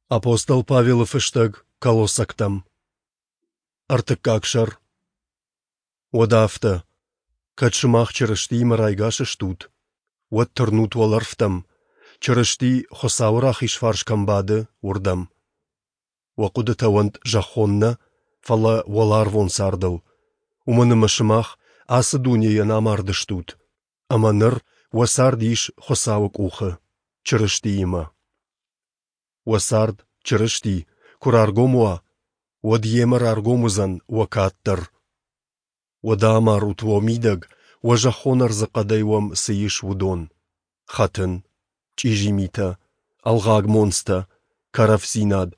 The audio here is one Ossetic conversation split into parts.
Апостол Павелы фыстӕг Колоссӕгтӕм. Ӕртыккаг сӕр. Уӕдӕ афтӕ, кӕд сымах Чырыстиимӕ райгас стут, уӕд тырнут уӕлӕрвтӕм, Чырысти Хуыцауы рахиз фарс кӕм бады, уырдӕм. Уӕ хъуыдытӕ уӕнт зӕххон нӕ, фӕлӕ уӕларвон цардыл, уымӕн ӕмӕ сымах ацы дунейӕн амардыстут, ӕмӕ ныр уӕ цард ис Хуыцауы къухы, Чырыстиимӕ. Уӕ цард, Чырысти, куы раргом уа, уӕд йемӕ раргом уыдзӕн уӕ кад дӕр. Уӕдӕ амарут уӕ мидӕг, уӕ зӕххон ӕрдзы хъӕдӕй уӕм цы ис, уыдон: хӕтын, чъизи митӕ, ӕлгъаг монцтӕ, кӕрӕфдзинад,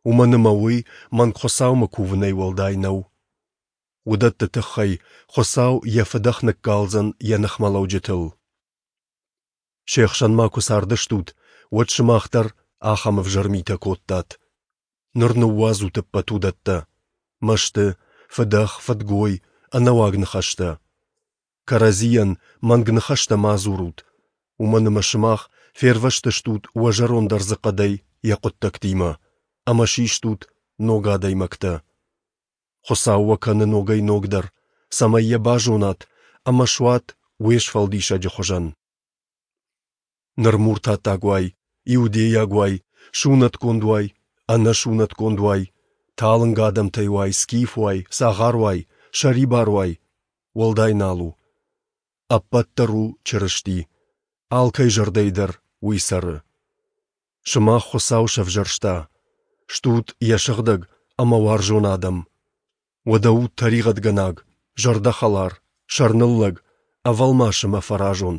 уымӕн ӕмӕ уый мӕнгхуыцаумӕ кувынӕй уӕлдай нӕу. Уыдӕтты тыххӕй Хуыцау йӕ фыдӕх ныккалдзӕн йӕ ныхмӕлӕуджытыл. Се хсӕн ма куы цардыстут, уӕд сымах дӕр ахӕм ӕвзӕр митӕ кодтат. Ныр ныууадзут ӕппӕт уыдӕттӕ: мӕсты, фыдӕх, фыдгой, ӕнӕуаг ныхӕстӕ. Кӕрӕдзийӕн мӕнг ныхӕстӕ ма дзурут, уымӕн ӕмӕ сымах фервӕзтыстут уӕ зӕронд ӕрдзыхъӕдӕй йӕ хъуыддӕгтимӕ ӕмӕ систут ног адӕймӕгтӕ. Хуыцау уӕ кӕны ногӕй-ногдӕр, цӕмӕй йӕ базонат ӕмӕ суат уе Сфӕлдисӕджы хуызӕн. Ныр муртаттаг уай, иудейаг уай, сунӕтгонд уай, ӕнӕсунӕтгонд уай, талынг адӕмтӕй уай, скиф уай, цагъар уай, сӕрибар уай, уӕлдай нал у. Ӕппӕт дӕр у Чырысти, алкӕй зӕрдӕйы дӕр уый цӕры. Сымах Хуыцау сӕвзӕрста, стут йӕ сыгъдӕг ӕмӕ уарзон адӕм. Уӕдӕ ут тӕригъӕдгӕнаг, зӕрдӕхӕлар, сӕрныллӕг, ӕвӕлмас ӕмӕ фӕразон.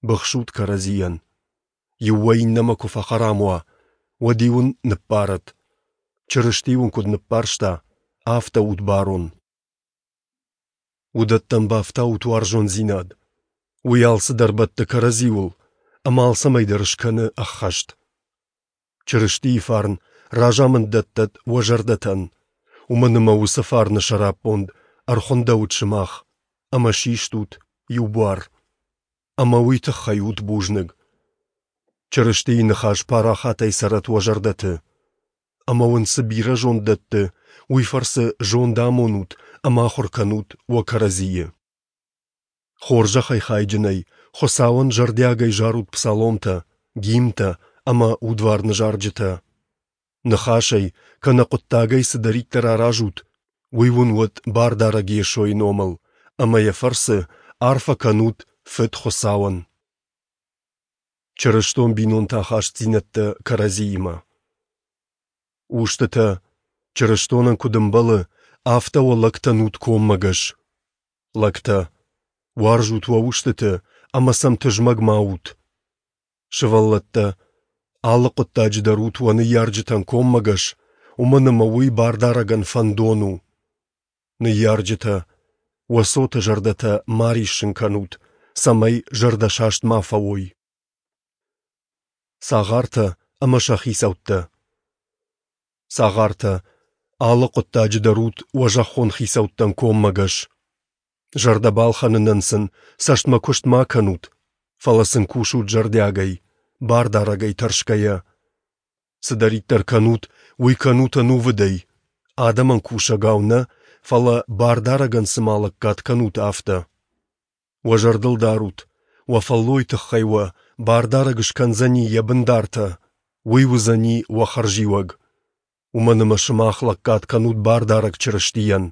Быхсут кӕрӕдзийӕн. Иу уӕ иннӕмӕ куы фӕхӕрам уа, уӕд-иу ын ныббарӕд. Чырысти уын куыд ныббарста, афтӕ ут барон. Уыдӕттӕм бафтаут уарзондзинад. Уый алцыдӕр бӕтты кӕрӕдзиуыл ӕмӕ алцӕмӕй дӕр скӕны ӕххӕст. Чырыстийы фарн разамынд дӕттӕд уӕ зӕрдӕтӕн, уымӕн ӕмӕ уыцы фарны сӕраппонд ӕрхуындӕуыд сымах, ӕмӕ систут иу буар. Ӕмӕ уый тыххӕй ут бузныг. Чырыстийы ныхас парахатӕй цӕрӕт уӕ зӕрдӕты. Ӕмӕ уын цы бирӕ зонд дӕтты, уый фӕрцы зонд амонут ӕмӕ ахуыр кӕнут уӕ кӕрӕдзийы. Хорзӕхӕй хайджынӕй Хуыцауӕн зӕрдиагӕй зарут псаломтӕ, гимнтӕ ӕмӕ удварны зарджытӕ. Ныхасӕй кӕнӕ хъуыддагӕй цыдӕриддӕр аразут, уый уын уӕд Бардарӕг Йесойы номыл, ӕмӕ йӕ фӕрцы арфӕ кӕнут Фыд Хуыцауӕн. Чырыстон бинонты ахастдзинӕдтӕ кӕрӕдзиимӕ. Устытӕ, чырыстонӕн куыд ӕмбӕлы, афтӕ уӕ лӕгтӕн ут коммӕгӕс. Лӕгтӕ, уарзут уӕ устыты ӕмӕ сӕм тызмӕг ма ут. Сывӕллӕттӕ, алы хъуыддаджы дӕр ут уӕ ныййарджытӕн коммӕгӕс, уымӕн ӕмӕ уый Бардарӕгӕн фӕндон у. Ныййарджытӕ, уӕ цоты зӕрдӕтӕ ма риссын кӕнут, цӕмӕй зӕрдӕсаст ма фӕуой. Цагъартӕ ӕмӕ сӕ хицӕуттӕ. Цагъартӕ, алы хъуыддаджы дӕр ут уӕ зӕххон хицӕуттӕн коммӕгӕс. Зӕрдӕ балхӕнынӕн сын цӕстмӕ куыст ма кӕнут, фӕлӕ сын кусут зӕрдиагӕй, бардарӕгӕй тӕрсгӕйӕ. Цыдӕриддӕр кӕнут, уый кӕнут ӕнувыдӕй, адӕмӕн кусӕгау нӕ, фӕлӕ бардарӕгӕн цыма лӕггад кӕнут, афтӕ. Уӕ зӕрдыл дарут, уӕ фӕллойы тыххӕй уӕ Бардарӕг скӕндзӕни йӕ бындартӕ, уый уыдзӕни уӕ хӕрзиуӕг. Уымӕн ӕмӕ сымах лӕггад кӕнут Бардарӕг Чырыстийӕн.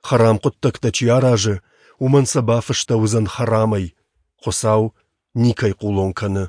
Хӕрам хъуыддӕгтӕ чи аразы, уымӕн сӕ бафыстӕуыдзӕн хӕрамӕй, Хуыцау никӕй хъулон кӕны.